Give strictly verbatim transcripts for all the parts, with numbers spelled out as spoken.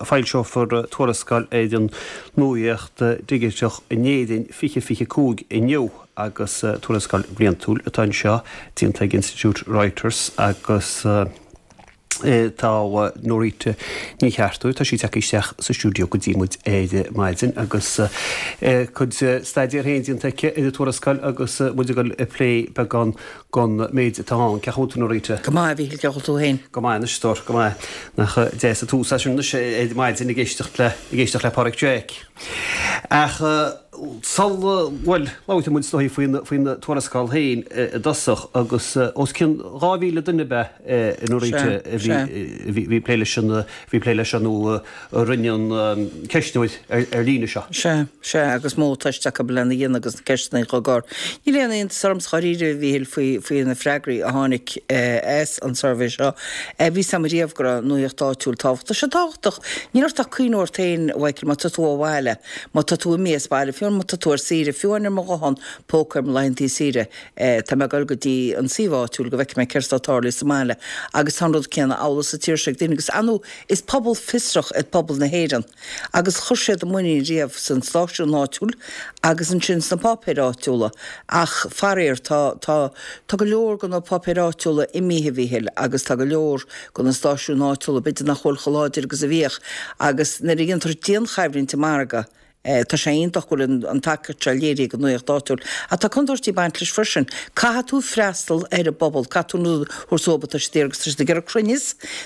Foilseofar tuarascáil ar an nuacht dhigiteach in Éirinn fiche fiche cúig inniu agus tuarascáil bhliantúil atá anseo déanta ag Institiúid Reuters agus tá Norita Ní Cheartúil tá sí tagtha isteach sa stiúideo go dtí muid ar maidin agus cuid staidéir féin déanta aici ar an tuarascáil agus muid ag dul ag plé beagán den méid atá ann. Cén chaoi a bhfuil tú Norita? Go maith a Mhíchíl, cén chaoi a bhfuil tú féin? Go maith anois stór, go maith. Nach deas an tús é sin anois ar maidin ag éisteacht le ag éisteacht le Páraic Jack. Ach sul bhuel labhróidh muid is dóigh faoin faoin tuarascáil féin i dtosach agus os cionn dhá mhíle duine ab ea a Norita a bhí bhí plé leis an bhí plé leis an nó a rinne an ceistneoir ar líne seo. Sea, sea, agus modh teiste acu lena dhéanamh agus na ceisteanna á gcur. Níl aon iontas ormsa dháiríre a Mhíchíl faoi faoi na freagraí a tháinig as an suirbhé seo. Bhí a fhios agam riamh go raibh nuaíocht áitiúil tábhachtach. Tá sé tábhachtach. Níl ort ach cuimhniú ort féin, a Mhichael, má tá tú ó bhaile, má tá tú imithe as baile, fiú má tá tú ar saoire, fiú amháin ar mo ghuthán póca ar mo laethantaí saoire, tá mé ag dul go dtí an suíomh áitiúil go bhfeicfidh mé céard atá ag tarlú sa mbaile. Agus tá an rud céanna amhlaidh sa tír seo ag daoine agus ar ndóigh is pobal fiosrach é pobal na hÉireann agus chuir siad a muinín riamh san stáisiún áitiúil agus ansin sna páipéir áitiúla. Ach faraor tá tá tá go leor de na páipéir áitiúla imithe a Mhíchíl agus tá go leor de na stáisiúin áitiúla b'fhéidir nach bhfuil chomh láidir agus a bhíodh agus nuair a dhéantar dianchoimhlint i margadh tá sé iontach go bhfuil an tacaíocht seo léirithe ag an nuacht áitiúil. Ach tá contúirtí ag baint leis freisin. Caithfidh tú freastal ar an bpobal, caithfidh tú an rud a thabhairt dóibh atá siad ag iarraidh agus tá siad ag iarraidh cruinneas,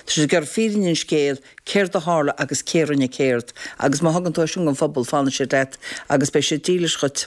tá siad ag iarraidh fírinne an scéil, céard a tharla agus cé a rinne céard. Agus má thugann tú é sin don phobal, fanfaidh siad leat agus beidh siad dílis dhuit.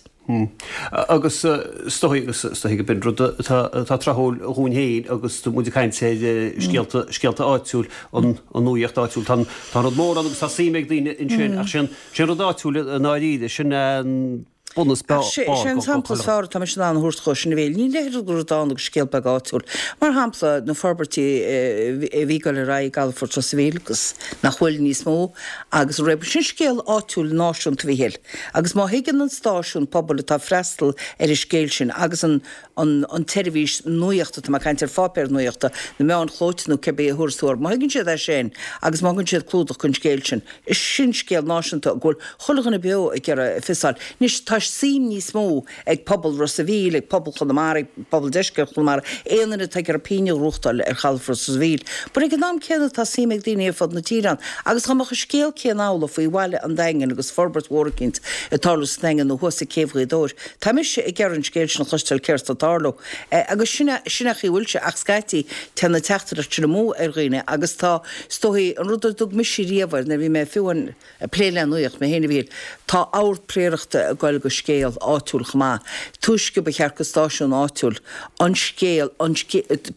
Agus is dóigh agus is dóigh go b'in rud atá atá tráthúil dhúinn féin agus muid ag caint ar scéalta scéalta áitiúil an an nuaíocht áitiúil. Tá tá rud mór ann agus tá suim ag daoine ansin ach sin sin rud áitiúil i ndáiríre sin an bunús Ach sé sé an sampla is fearr atá mise in ann a thabhairt dhuit sin a Mhíchíl. Níl a leithéid de rud ann agus scéal beag áitiúil. Mar shampla, na forbairtí a bhí ag dul ar aghaidh i gcalafort Ros a' Mhíl agus nach bhfuil níos mó agus an raibh sin scéal áitiúil náisiúnta a Mhíchíl. Agus má thuigeann an stáisiún pobail atá ag freastal ar an scéal sin agus an an an tseirbhís nuachta, tá mé ag caint ar pháipéar nuachta, na meáin chlóite nó cibé a thabharfas tú orthu, má thuigeann siad é sin agus má thugann siad clúdach don scéal sin, is sin scéal náisiúnta go bhfuil chuile dhuine beo ag iarraidh fios a fháil. Anois tá suim níos mó ag pobal Ros a' Mhíl, ag pobal Chonamara, ag pobal deisceart Chonamara, aon duine atá ag iarraidh pingin a ghnóthachtáil ar chalafort Ros a' Mhíl. But ag an am céanna tá suim ag daoine ar fud na tíre ann. Agus dá mbeadh an scéal céanna amhlaidh faoi bhaile an Daingin agus forbairt mhór eicínt ag tarlú sa Daingean nó thuas ag Céibh Ghaoth Dobhair, tá mise ag iarraidh an scéal sin a chloisteáil céard atá ag tarlú. Agus sin é, sin é an chaoi a bhfuil sé ach scaití téann na teachtaireacht sin amú ar dhaoine agus tá, is dóigh, an rud a dtug mise riamh air nuair a bhí mé fiú amháin ag plé le nuacht mé féin a Mhíchíl, tá ord príorachta ag goil go scéal áitiúil chomh maith. Túisce ba cheart go stáisiún áitiúil an scéal, an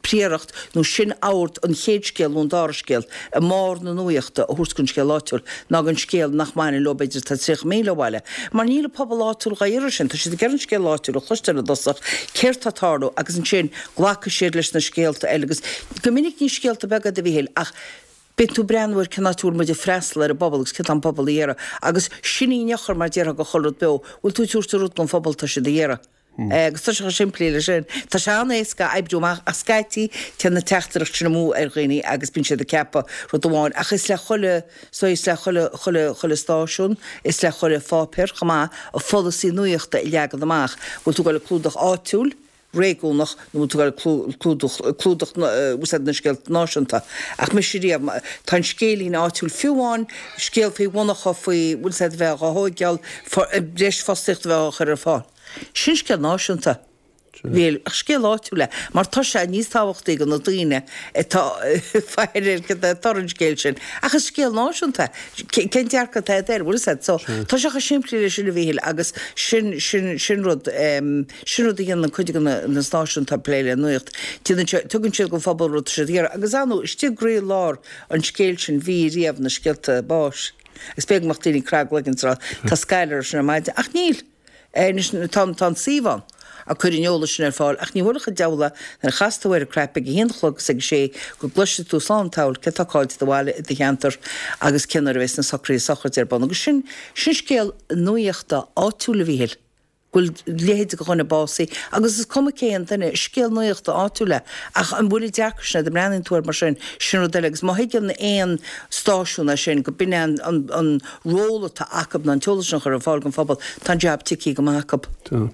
príoracht nó sin ord an chéad scéal nó an dara scéal i mbarr na nuachta a thabhairt don scéal áitiúil ná don scéal nach mbaineann leo b'fhéidir atá tríocha míle ó bhaile. Mar níl an pobal áitiúil dhá iarraidh sin, tá siad ag iarraidh an scéal áitiúil a chloisteáil i dtosach, céard tá ag tarlú agus ansin glacfaidh siad leis na scéalta eile agus go minic ní scéalta beaga iad a Mhíchíl ach Bíonn tú ag breathnú ar cén áit a bhfuil muid ag freastal ar an bpobal agus céard tá an pobal a iarraidh agus sin í an eochair mar déarfá do chuile rud beo, bhfuil tú ag tabhairt an rud don phobal atá siad a iarraidh. Agus tá sé chomh simplí leis sin. Tá sé an-éasca a oibriú amach ach scaití téann na teachtaireacht sin amú ar dhaoine agus bíonn siad ag ceapadh rud amháin ach is le chuile, so is le chuile, chuile, chuile stáisiún, is le chuile pháipéar chomh maith a pholasaí nuachta a leagan amach. Bhfuil tú ag dul ag clúdach áitiúil? réigiúnach nó bhfuil tú ag clúdach clúdach úsáid na scéalta náisiúnta. Ach mise riamh, tá an scéilín áitiúil, fiú amháin scéal faoi mhonarcha faoi bhfuil said a bheith á thóigeáil, breis fostaíochta a bheith á chur ar fáil. Sin scéal náisiúnta. Bhí, ach scéal áitiúil é, mar tá sé níos tábhachtaí do na daoine atá faire ar cad é toradh an scéil sin. Ach is scéal náisiúnta é. Cén dearcadh atá agat air, bhfuil fhios agat? So, tá sé chomh simplí leis sin a Mhíchíl agus sin, sin, sin rud. Sin rud a dhéanann cuid de na stáisiúin atá ag plé le nuacht. Déanann siad, tugann siad don phobal rud atá siad ag iarraidh. Agus ar ndóigh, istigh i gcroí-lár an scéil sin bhí riamh na scéalta báis. Agus b'fhéidir go mbeadh daoine ag crá a gcloigeann is ag rá, tá scaill orthu sin ar maidin. Ach níl. Anois, tá, tá an suíomh ann ag cur an eolais sin ar fáil ach ní thabharfadh an diabhal é nuair a chas tú ar an cnaip ag a haon a chlog is ag a sé go gcloisfidh tú slán tadhall cé atá caillte i do bhaile, i do cheantar agus cén uair a bheas na socruithe sochraide ar bun. Agus sin, sin scéal nuachta áitiúil a Mhíchíl. go bhfuil leithéid de dhuine básaithe agus is cuma cén duine, is scéal nuachta áitiúil é. Ach an bhfuil an dearcadh sin agat, an mbreathnaíonn tú air mar sin, sin rud eile agus má thuigeann aon stáisiún é sin, go b'in é an, an, an ról atá acu ná an t-eolas sin a chur ar fáil don phobal, tá an jab ticthe go maith acu. Tá.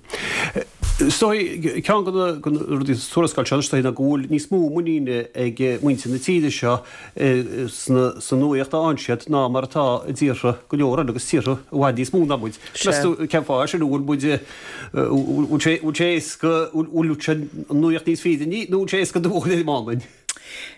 Is dóigh, ceann de na rudaí sa tuarascáil seo, is dóigh, ná go bhfuil níos mó muiníne ag muintir na tíre seo sa nuaíocht a fhaigheann siad ná mar atá i dtíortha go leor eile agus tíortha i bhfad níos mó ná muid. Meas tú cén fáth é sin? An bhfuil muid, bhfuil sé, bhfuil sé éasca, bhfuil an nuaíocht níos fírinní nó bhfuil sé éasca dubh a chur ar an mbán?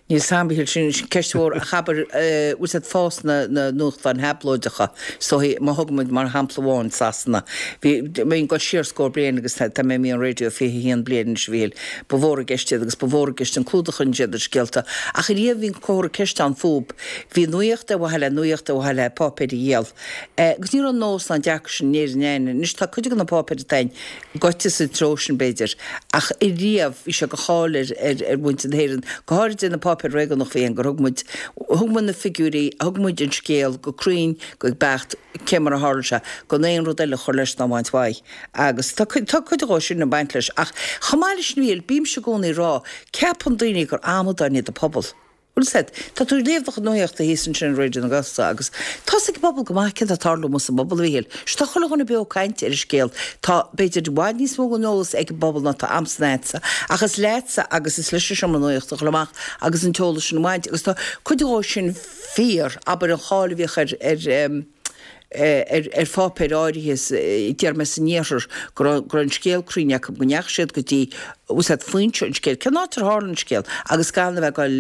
Níl 's a'm, a Mhichíl, sin ceist mhór ach abair, bhfuil 's a'd fás na na nuachtáin thablóideacha, is dóigh, má thugann muid mar shampla amháin Sasana, bhí, bhí ag dul siar scór bliain agus tá mé imithe ón raidió fiche a haon bliain anois a Mhichíl, ba mhór i gceist iad agus ba mhór i gceist an clúdach a rinne siad ar scéalta ach ariamh bhí an comhartha ceiste ann fúb, bhí nuaíocht ar mhaithe le nuaíocht ar mhaithe le páipéir a dhíol. Agus ní raibh an nós ná an dearcadh sin in Éirinn a'inn. Anois tá cuid de na páipéir atá a'inn gaibhte sa treo sin b'fhéidir ach ariamh bhí sé de cháil ar ar ar mhuintir na hÉireann, go háirid ar na páipéir réigiúnacha a bhí ann, gur thug muid, thug muid na figiúirí, thug muid an scéal go cruinn, go beacht, cé mar a tharla sé, gan aon rud eile a chur leis ná a bhaint uaidh. Agus tá cuid, tá cuid dhó sin ag baint leis. Ach chomh maith leis sin a Mhichíl, bímse i gcónaí ag rá, ceapann daoine gur amadáin iad an pobal. Bhfuil 's a'd, tá tú ag léamh do chuid nuaíochta thíos ansin ar Raidió na Gaeltachta agus tá 's ag an bpobal go maith céard atá ag tarlú amuigh sa bpobal, a Mhichíl. Sea, tá chuile dhuine beo ag caint ar an scéal. Tá, b'fhéidir, i bhfad níos mó den eolas ag an bpobal ná atá a'msa ná a'dsa. Ach is leatsa agus is leis an seomra nuaíochta a dhul amach agus an t-eolas sin a bhaint. Agus tá cuid dhó sin fíor, abair an cháil a bhíodh ar, ar, ar, ar pháipéir áirithe, déarfaidh mé san iarthar, go raibh, go raibh an scéal cruinn acu, go ndeachaigh siad go dtí, bhfuil 's a'd, foinse an scéil, cén áit ar tharla an scéal, agus gan a bheith ag goil,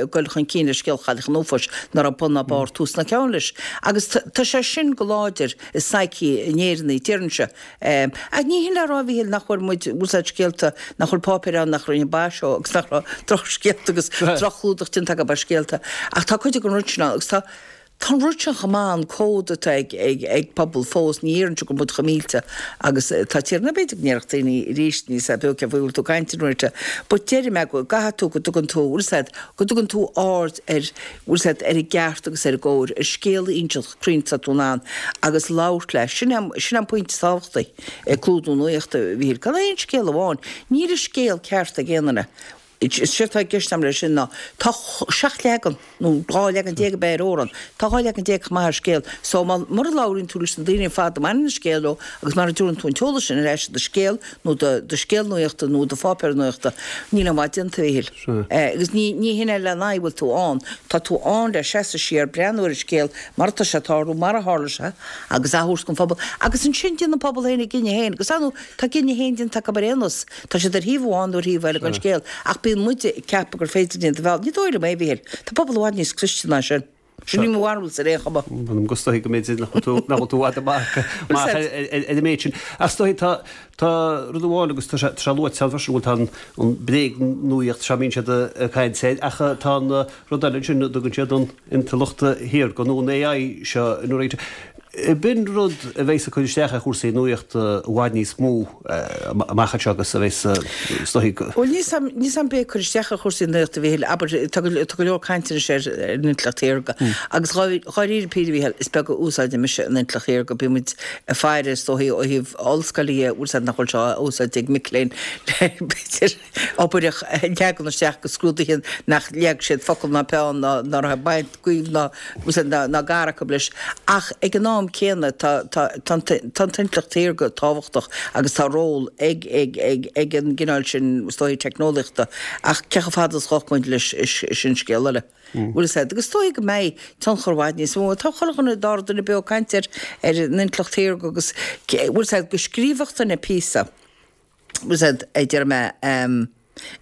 ag goil chun cinn le scéal Chailleach an Uafáis, ná raibh bun ná barr, tús ná ceann leis. Agus tá, tá sé sin go láidir i psyche an Éireannaigh, déarfainnse. Ach ní hin le rá, a Mhichíl, nach bhfuair muid, bhfuil 's a'd, scéalta, nach bhfuil páipéir ann nach rinne baise dhó agus nach raibh drochscéalta agus droch-chlúdach déanta acu ar scéalta. Ach tá cuid den rud sin ann agus tá, Tá an rud sin chomh maith, an cód atá ag ag pobal fós, ní dhéarfainnse go bhfuil muid chomh millte agus atá tíortha, nó b'fhéidir go ndéarfadh daoine arís, níl 's a'd beo cén faoi a bhfuil tú ag caint an uair but deirim é go gcaithfidh tú go dtugann tú, bhfuil 's a'd, go dtugann tú aird ar, bhfuil 's a'd, ar an gceart agus ar an gcóir, ar scéal a inseacht chomh cruinn is atá tú in ann agus labhairt leis. Sin é, sin é an pointe is tábhachtaí i gclúdú nuachta, a Mhichíl. Gan aon scéal amháin, níl an scéal ceart ag aon duine. Is é atá i gceist agam leis sin ná tá seacht leagan, nó dhá leagan déag ab ea ar amhrán, tá dhá leagan déag chomh maith ar scéal. So má, mura labhraíonn tú leis na daoine ar fad a mbaineann an scéal leo agus mara dtabharann tú an t-eolas sin ar ais i do scéal nó do do scéal nuachta nó do pháipéar nuachta, níl aon mhaith déanta, a Mhichíl. Agus ní, ní hin é lena aghaidh a bhfuil tú ann. Tá tú ann le seasamh siar, breathnú ar an scéal mar atá sé ag tarlú, mar a tharla sé agus a thabhairt don phobal. Agus ansin déanann an pobal féin a gcinneadh féin. Agus ar ndóigh, tá a gcinneadh féin déanta acu ar aon nós. Tá siad ar thaobh amháin nó ar thaobh eile den scéal, ach bíonn muide ag ceapadh gur féidir linn iad a mhealladh. Ní dóigh liom é, a Mhichíl. Tá pobal i bhfad níos cliste ná sin. Sin í mo bharúilsa ar aon chuma. M'anam go is dóigh go mb'fhéidir nach bhfuil tú nach bhfuil tú i bhfad amach amach ar ar an méid sin. Ach is dóigh tá tá rud amháin agus tá sé tá sé luaite ann freisin go bhfuil tá an an bréagnuaíocht seo a mbíonn siad ag caint air ach tá an rud eile ansin a dtugann siad an intleacht shaorga nó an AI seo nuair a B'in rud a bheas ag cur isteach ar chúrsaí nuachta i bhfad níos mó amach anseo agus a bheas is dóigh go. Bhuel, níl 's a'm, níl 's a'm b'é ag cur isteach ar chúrsaí nuachta, a Mhichíl, abair, tá go, tá go leor cainte anois ar, ar an intleacht shaorga agus dháiríre píre, a Mhichíl, is beag a úsáideann mise an intleacht shaorga, bíonn muid ag faire is dóigh ó thaobh ollscoile dhe, bhfuil 's a'd nach bhfuil sé á úsáid ag mic léinn le b'fhéidir obair a leagan isteach go scrúduithe nach leag siad focal ná peann ná, ná raibh baint gaoibh ná, bhfuil 's a'd, ná, ná gar acu leis. Ach ag an am céanna tá, tá, tá an, tá an t-intleacht shaorga tábhachtach agus tá ról ag, ag, ag, ag an gcineál sin, is dóigh, teicneolaíochta. Ach cé chomh fada is a ghabhfaidh muid leis, sin scéal eile. Bhfuil 's a'd. Agus is dóigh go mbeidh tionchar i bhfad níos mó. Tá chuile dhuine, dara duine beo ag caint ar, ar an intleacht shaorga agus, bhfuil 's a'd, go scríobhfadh duine píosa. Bhfuil 's a'd, a deir mé,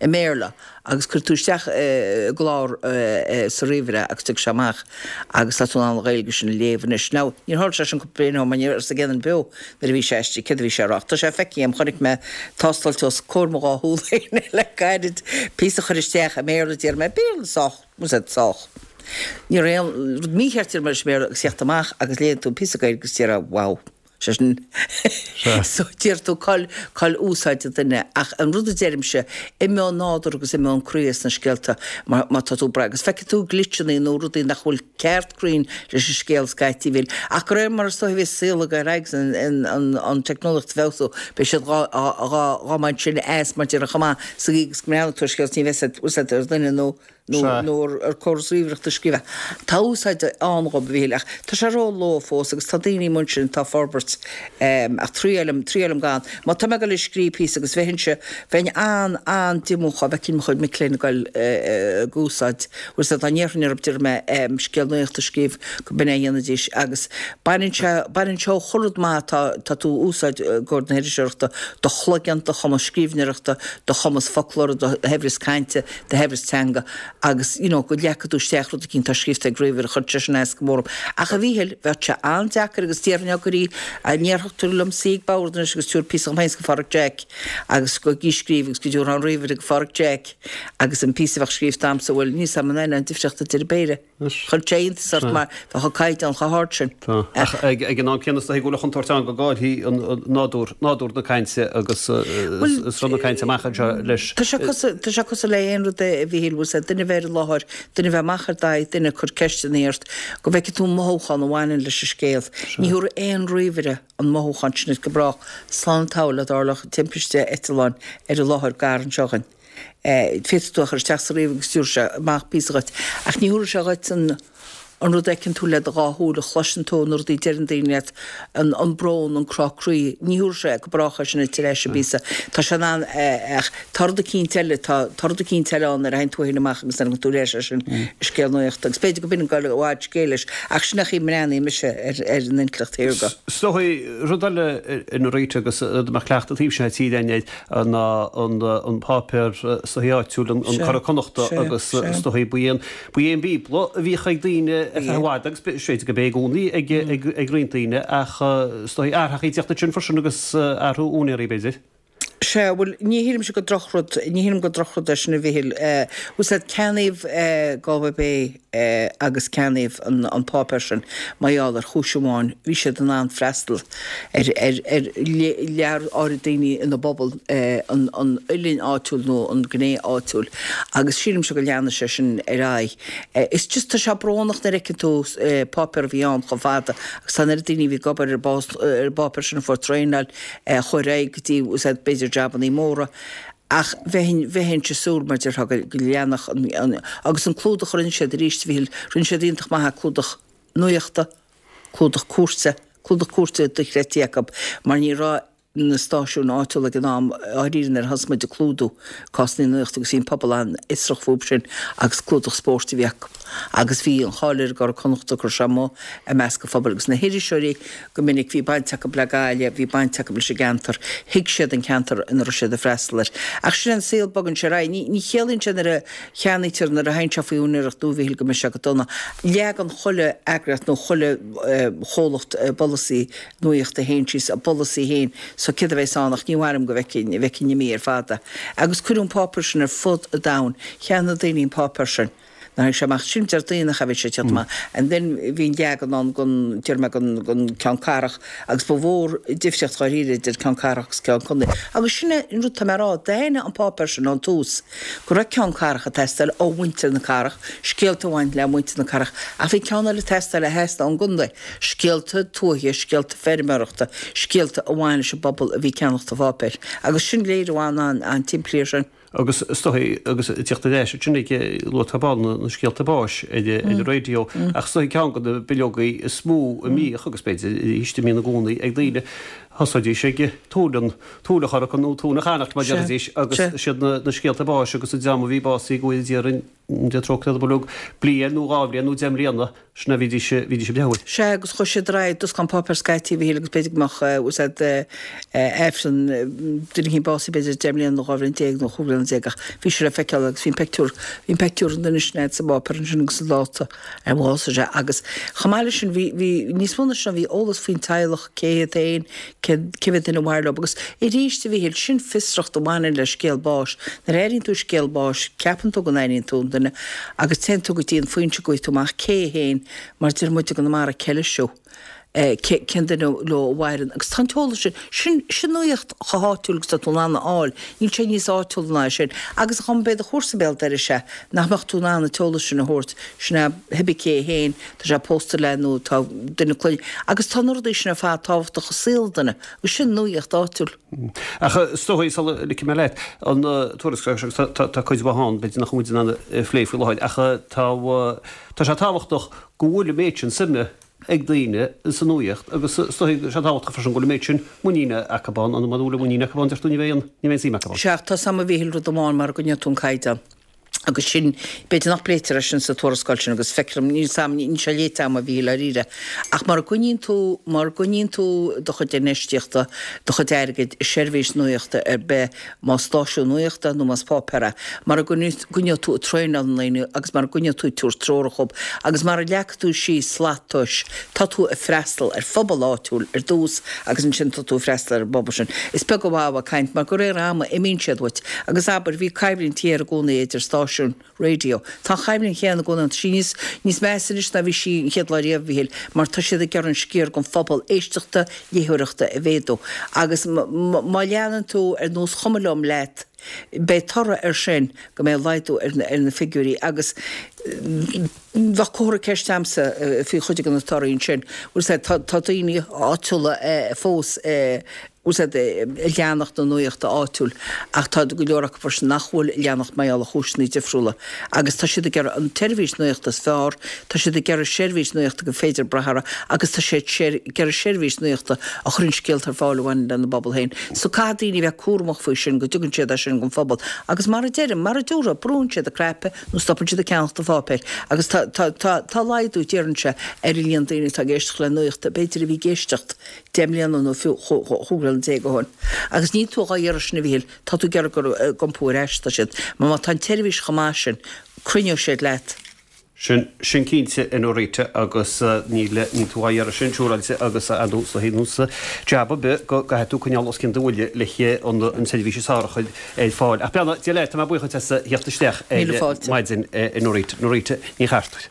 i mBéarla agus cuirfidh tú isteach i gclár sa ríomhaire agus tiocfaidh sé amach agus tá tú in ann an Ghaeilge sin a léamh anois. Now, níor tharla sé sin cúpla bliain ó shin mar ní raibh fhios ag aon duine beo nuair a bhí sé istigh céard a bhí sé a rá ach tá sé feicthe agam, chonaic mé tástáilte os comhair mo dhá shúl féin le gairid, píosa a chur isteach i mBéarla, déarfaidh mé, Béarla sách, bhfuil 's a'd, sách. Ní raibh aon rud mícheart déarfaidh mé leis an mBéarla agus theacht amach agus léann tú an píosa Gaeilge agus déarfá, wow. Sé sin so deir tú cá'il cá'il úsáid an duine ach an rud a deirimse imeoidh nádúr agus imeoidh an croí as na scéalta má má tá tú ag brath agus feicfidh tú glitcheanna nó rudaí nach bhfuil ceart cruinn leis an scéal scaití bhfuil ach de réir mar is dóigh a bheas saol ag dul ar aghaidh agus an an an an teicneolaíocht ag feabhsú beidh siad dhá dhá dhá mbaint sin as mar déarfá chomh maith sa gcaoi agus go mbreathnóidh tú ar scéal ní bheidh úsáid ar dhuine nó nó nó ar córas ríomhaireachta scríofa. Tá úsáid ann dhób, a Mhíchíl, ach tá sé ró-luath fós agus tá daoine amuigh ansin atá ag forbairt ach triailim, triailim gan. Má tá mé ag dul ag scríobh píosa agus bheinnse, bheinn an-an-díomách dá bhfeicfinn mo chuid mic léinn ag dul ag úsáid, bhfuil 's a'd, dá ndéarfainn orthu, déarfaidh mé, scéal nuachta a scríobh, go b'in é a dhéanfaidís agus baineann sé, baineann sé ó chuile rud maith atá, tá tú a úsáid i gcomhair na hiriseoireachta, do chloigeann, do chumas scríbhneoireachta, do chumas foclóra, do shaibhreas cainte, do shaibhreas teanga agus you know go leagfaidh tú isteach rud eicínt atá scríofa ag ríomhaire, chuir sé sin as go mór orm. Ach a Mhíchíl, bheadh sé an-deacair agus déarfainn gur í, a ndéarfadh tú liom suí ag bord anois agus tabhair píosa dhom féin 's go Phádraic Jack agus go ag scríobh agus go dtabharfá an ríomhaire go Phádraic Jack agus an píosa a bheadh scríofa a'msa, bhuel níl 's a'm an an difríocht idir an péire. Chuirfeadh sé iontas ort mar bheadh an caighdeán chomh hard sin. Tá. Ach ag an am céanna is dóigh go bhfuil an chontúirt ann go gcaillfidh nádúr, nádúr na cainte agus sruth na cainte amach anseo leis. Tá sé cosúil, tá sé cosúil le aon rud a Mhíchíl, bhfuil 's a'd, duine a bheith ar an láthair, duine a bheith amach ar d'aghaidh, duine ag cur ceisteanna ort, go bhfeicfidh tú an mothúchán a bhaineann leis an scéal. Ní thabharfaidh aon ríomhaire an mothúchán sin duit go brách. Slán an tsamhail a dtarlódh timpiste eitleáin ar an láthair gar anseo dhuinn. Féadfaidh tú a chur isteach sa ríomhaire agus tabharfaidh sé amach píosa dhuit. Ach ní thabharfaidh sé dhuit an an rud a fheiceann tú le do dhá shúil, a chloiseann tú, na rudaí a deireann daoine leat, an an brón, an crá croí. Ní thabharfaidh sé go brách é sin duit ar ais an bpíosa. Tá sé in ann ach tá rud eicínt eile, tá tá rud eicínt eile ann nuair a théann tú féin amach agus nuair a thagann tú ar ais é sin scéal nuachta. Agus b'fhéidir go b'in an goil i bhfad scéil leis ach sin é an chaoi a mbreathnaíonn mise ar ar an intleacht shaorga. Is dóigh rud eile in Rita agus a mbeadh cleachtadh taobh sin tíre againn air ná an páipéar is dóigh áitiúil, an Curadh Connachta agus is dóigh ba é an ba é an Bíobla a bhíodh ag daoine ar feadh i bhfad agus b'fhéidir go b'é i gcónaí ag ag roinnt daoine ach is dóigh athraitheacha ag teacht ansin freisin agus athrú úinéirí b'fhéidir. Sea, bhuel, ní shílimse gur drochrud, ní shílim gur drochrud é sin a Mhichíl. Bhfuil 's a'd, ceannaíodh Galway Bay agus ceannaíodh an an páipéar sin mar gheall ar chúis amháin, bhí siad in ann freastal ar ar ar lear áirid daoine ina bpobal, an an uillinn áitiúil nó an gné áitiúil agus sílimse go leanfaidh sé sin ar aghaidh. Is just tá sé brónach nuair a fheiceann tú páipéar a bhí ann chomh fada agus tá an oiread daoine a bhí ag obair ar an bpáipéar sin a fuair traenáil, chuaigh ar aghaidh go dtí, bhfuil 's a'd, b'fhéidir jabannaí móra ach bheinn, bheinnse ag súil mar déarfá go, go leanfadh an, an, agus an clúdach a rinne siad arís a Mhichíl, rinne siad iontach maith é, clúdach nuachta, clúdach cúirte, clúdach cúirte dochreidte acu mar ní raibh na stáisiúin áitiúla ag an am dháiríre nuair a thosaigh muid ag clúdú cásanna nuachta agus bhí an pobal an-fhiosrach fúb sin agus clúdach spóirt a bhí acu agus bhí an cháil ar an gCuradh Connachta go raibh sé amuigh i measc an phobail agus na hiriseoirí Go minic bhí baint acu le Gaillimh, bhí baint acu leis an gceantar, thuig siad an ceantar ina raibh siad ag freastal air. Ach sin é an saol, bogann sé ar aghaidh. Ní, ní chiallaíonn sé nuair a cheannaítear, nuair a théann sé faoi úinéireacht nua, a Mhichíl, go mbeidh sé go dona. Leagann chuile eagraíocht nó chuile chomhlacht a bpolasaí nuachta féin síos, a bpolasaí féin, so céard a bheas ann ach ní maith liom go bhfeicfinn, bhfeicfinn imithe ar fad é. Agus cuireadh an páipéar sin ar fud an domhain. Cheannaigh daoine an páipéar sin. Nuair a tháinig sé amach, sin Déardaoin nach ea bhí sé ag teacht amach. And then bhí an leagan ann gon, déarfaidh mé gon, gon ceann cathrach agus ba mhór difríocht dháiríre idir ceann cathrach agus ceann contae. Agus sin é an rud tá mé a rá, d'aithnigh an páipéar sin ón tús go raibh ceann cathrach ag teastáil ó mhuintir na cathrach, scéalta a bhain le muintir na cathrach ach bhí ceann eile ag teastáil a theastaigh ón gcontae, scéalta tuaithe, scéalta feirmeoireachta, scéalta a bhain leis an bpobal a bhí ag ceannacht an pháipéir. Agus sin léiriú an-an-an-tsimplí ar sin. Agus is dóigh, agus ag teacht ar ais ansin ag luath tá ball na scéalta báis ar an raidió, ach is dóigh ceann de na bileogaí is mó a mbíodh, agus b'fhéidir arís a mbíonn i gcónaí ag daoine, thosaídís ag tóin an, tóin a Chorca nó tóin a Chonnacht mar a déarfaidís, agus siad na scéalta báis agus an dream a bhí básaithe go bhfóire Dia orainn, Dia trócaire orthu uilig, bliain nó dhá bhliain nó deich mbliana, Sin a bhídís, bhídís ag breathnú air. Sea, agus chuaigh siad ar aghaidh, d'oscail an páipéar scaití a Mhichíl agus b'fhéidir go mbeadh, bhfuil 's a'd, Aifreann, duine éicint básaithe b'fhéidir deich mbliana nó dhá bhliain déag nó chúig bhliana déag ach bhí sé le feiceáil agus bhí an peictiúr, bhí an peictiúr an duine sin a'd sa bpáipéar ansin agus an dáta ar bhásaigh sé agus chomh maith leis sin bhí, bhí níos mó ná sin bhí eolas faoin teaghlach, cé hiad féin, cé, cé mhéad duine a mhair leo agus arís a Mhichíl, sin fiosracht a bhaineann le scéal báis. Nuair a airíonn tú scéal báis, ceapann tú go n-airíonn tú an duine agus téann tú go dtí an foinse go bhfaighidh tú amach cé é féin, mar deir muid i gConamara, ceileisiú. cén duine leo a mhaireann agus tá an t-eolas sin, sin, sin nuaíocht chomh háitiúil agus atá tú in ann a fháil, níl sé níos áitiúla ná sin. Agus dá mba é do chúrsa béal dorais é, nach mbeadh tú in ann an t-eolas sin a thabhairt, sin é cibé cé féin, tá sé pósta le nó tá duine clainne, agus tá na rudaí sin ar fad tábhachtach i saol duine, agus sin nuaíocht áitiúil. Ach is dóigh, sula ligfidh mé leat, an tuarascáil seo, agus tá cuid mhaith ann, b'fhéidir nach bhfuil muid in ann a phlé faoi láthair, ach tá, tá sé tábhachtach go bhfuil an méid sin suime ag daoine sa nuaíocht agus is dóigh go bhfuil sé tábhachtach freisin go bhfuil an méid sin muiníne acu ann, an mura bhfuil muinín acu ann, deir tú, ní bheidh an, ní bheidh an suim acu ann. Sea, tá 's a'm a Mhíchíl rud amháin mara gcoinneoidh tú an caighdeán agus sin, b'fhéidir nach bpléitear é sin sa tuarascáil sin agus feictear dom, níl 's a'm, níl sé léite a'm a Mhíchíl dáiríre, ach mara gcoinníonn tú, mara gcoinníonn tú do chuid infheistíochta, do chuid airgid i seirbhís nuaíochta ar bith, más stáisiún nuaíochta nó más páipéar é, mara gcoinneoidh tú ag traenáil na ndaoine agus mara gcoinneoidh tú ag tabhairt treorach dhób agus mara leagfaidh tú síos slat tomhais, tá tú ag freastal ar phobal áitiúil ar dtús agus ansin tá tú ag freastal ar an bpobal sin. Is beag an mhaith a bheith ag caint mar de réir ama imíonn siad uait agus abair, bhí coimhlint ghéar i gcónaí idir stáisiúin raidió. Tá an choimhlint chéanna i gcónaí ann. Tá sí níos, níos measa anois ná bhí sí an chéad lá riamh, a Mhíchíl, mar tá siad ag iarraidh an sciar den phobal éisteachta, léitheoireachta a mhéadú. Agus má leanann tú ar nós chuma liom leat, beidh toradh air sin go mbeidh laghdú ar na figiúirí agus bheadh comhartha ceiste a'msa faoi chuid de na torthaí ansin. Bhfuil 's a'd, tá daoine áitiúla fós bhfuil 's a'd, ag leanacht na nuaíochta áitiúil ach tá go leor acu freisin nach bhfuil ag leanacht mar gheall ar chúiseanna difriúla agus tá siad ag iarraidh an tseirbhís nuaíochta is fearr, tá siad ag iarraidh seirbhís nuaíochta gur féidir brath uirthi agus tá siad ag iarraidh seirbhís nuaíochta a chuireann scéalta ar fáil a bhaineann lena bpobal féin. So caithfidh daoine a bheith cúramach faoi sin go dtugann siad é sin don phobal agus mar a deirim, mar a dúradh, brúnn siad an cnaipe nó stopann siad ag ceannacht an pháipéir agus tá, tá, tá, tá laghdú, déarfainnse, ar an líon daoine atá ag éisteacht le nuaíocht, b'fhéidir a bhí ag éisteacht deich mbliana nó fiú chúig bliana déag ó shin. Agus níl tú dhá iarraidh sin a Mhíchíl, tá tú ag iarraidh gur ag iompú ar ais atá siad. Mar má tá an tseirbhís chomh maith sin, cruinneoidh siad leat. Sin, sin cinnte a Norita agus níl, níl tú dhá iarraidh sin siúráilte agus ar nós, ar nós jab ar bith go gcaithfidh tú coinneáil os cionn do bhuille le an, an tseirbhís is fearr a chur ar fáil. Ach beannacht Dé leat, tá mé buíoch duit as a theacht isteach ar Míle fáilte. maidin a Norita, Norita Ní Chartúir.